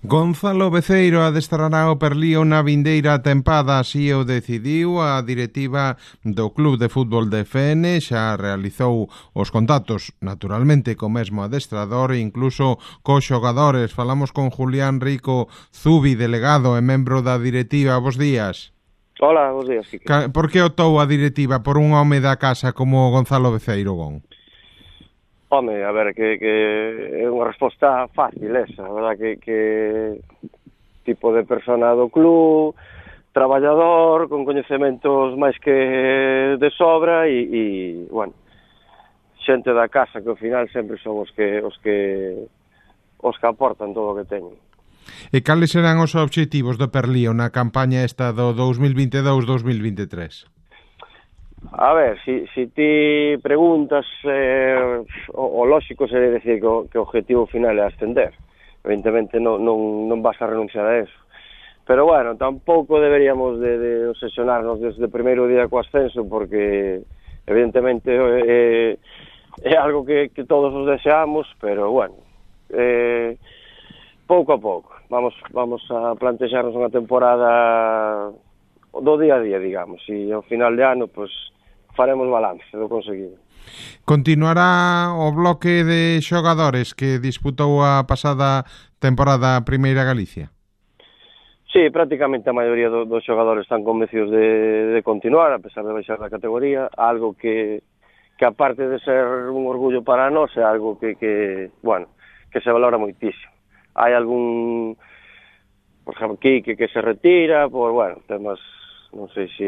Gonzalo Beceiro adestrará o Perlío na vindeira tempada, así o decidiu a directiva do Club de Fútbol de Fene. Xa realizou os contactos, naturalmente, co mesmo adestrador e incluso cos xogadores. Falamos con Julián Rico Zubi, delegado e membro da directiva. Bos días. Hola, bos días, Quique. Por que optou a directiva por un home da casa como Gonzalo Beceiro, Gon? Home, a ver, que é unha resposta fácil esa, a verdad que tipo de persona do club, traballador, con coñecementos máis que de sobra e bueno, xente da casa que ao final sempre son os que aportan todo o que teñen. E cales serán os obxectivos do Perlío na campaña esta do 2022-2023? A ver, si ti preguntas, o lógico sería decir que o objetivo final é ascender. Evidentemente non vas a renunciar a eso. Pero bueno, tampouco deberíamos de obsesionarnos desde o primeiro día co ascenso, porque evidentemente é algo que todos os deseamos, pero bueno, pouco a pouco. Vamos a plantexarnos unha temporada do día a día, digamos, e ao final de ano, pois, faremos balance do conseguido. Continuará o bloque de xogadores que disputou a pasada temporada a Primeira Galicia? Sí, prácticamente a maioría dos xogadores están convencidos de continuar, a pesar de baixar da categoría, algo que aparte de ser un orgullo para nós, é algo que se valora moitísimo. Hai algún, por exemplo, Quique que se retira, por, bueno, temas, non sei se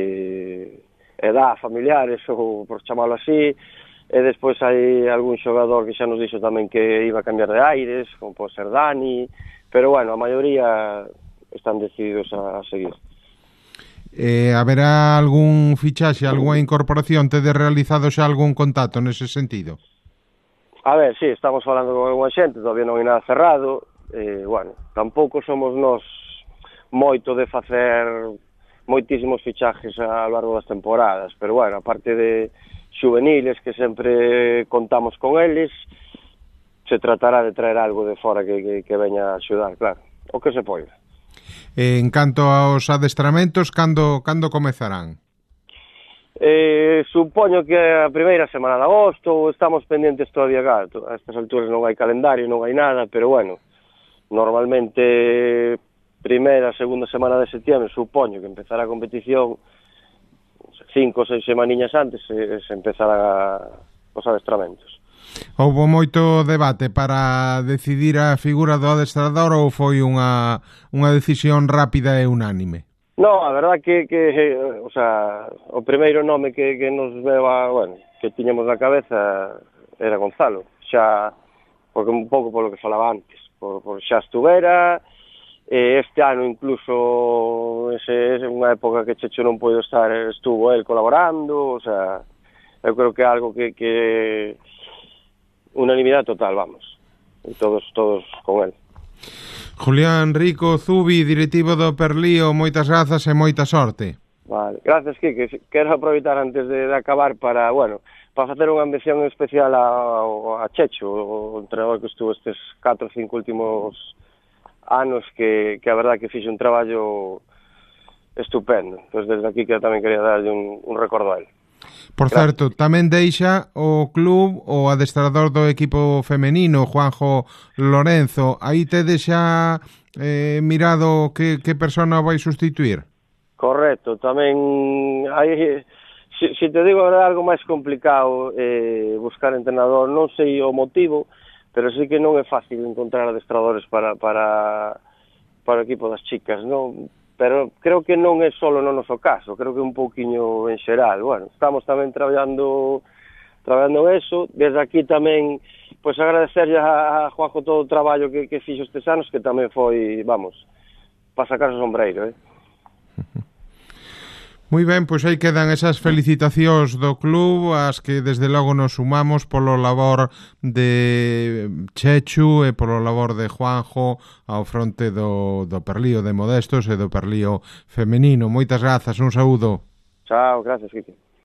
edad, familiares, ou por chamalo así, e despois hai algún xogador que xa nos dixo tamén que iba a cambiar de aires, como pode ser Dani, pero bueno, a maioría están decididos a seguir. Haberá algún fichaxe, algunha incorporación? Tedes realizado xa algún contacto nese sentido? A ver, sí, estamos falando con alguna xente, todavía non hai nada cerrado, bueno, tampouco somos nós moito de facer moitísimos fichajes a lo largo das temporadas, pero bueno, aparte de juveniles que sempre contamos con eles, se tratará de traer algo de fora que veña a axudar, claro, o que se poida. En canto aos adestramentos, cando comezarán? Supoño que a primeira semana de agosto, estamos pendentes todavía, claro, a estas alturas non hai calendario, non hai nada, pero bueno, normalmente primeira, segunda semana de setembro, supoño que empezará a competición 5 ou 6 semaniñas antes, se empezará os adestramentos. Houbo moito debate para decidir a figura do adestrador ou foi unha decisión rápida e unánime? No, a verdad que o sea, o primeiro nome que nos veva, bueno, que tiñamos na cabeza era Gonzalo, xa, porque un pouco polo que falaba antes, por xa estuvera. Este ano incluso é unha época que Checho non pode estar, estuvo el colaborando, o sea, eu creo que é algo que unanimidade total, vamos, e todos con el. Julián Rico Zubi, directivo do Perlío, moitas grazas e moita sorte. Vale, gracias, Quique. Quero aproveitar antes de acabar para facer unha mención especial a Checho, o entrenador que estuvo estes 4 ou 5 últimos anos, que a verdad que fixe un traballo estupendo. Pois desde aquí que tamén quería darlle un recordo a él. Por certo, tamén deixa o club o adestrador do equipo femenino, Juanjo Lorenzo. Aí tedes xa mirado que persona vai sustituir? Correcto, tamén hai, se te digo é algo máis complicado buscar entrenador, non sei o motivo, pero sí que non é fácil encontrar adestradores para o equipo das chicas, non? Pero creo que non é só no noso caso, creo que un pouquiño en xeral. Bueno, estamos tamén traballando eso. Desde aquí tamén, pois, agradecerlle a Juanjo todo o traballo que fixo estes anos, que tamén foi, vamos, para sacar o sombreiro, Moi ben, pois aí quedan esas felicitacións do club, as que desde logo nos sumamos polo labor de Chechu e polo labor de Juanjo ao fronte do Perlío de Modestos e do Perlío femenino. Moitas grazas, un saúdo. Chao, gracias, Quique.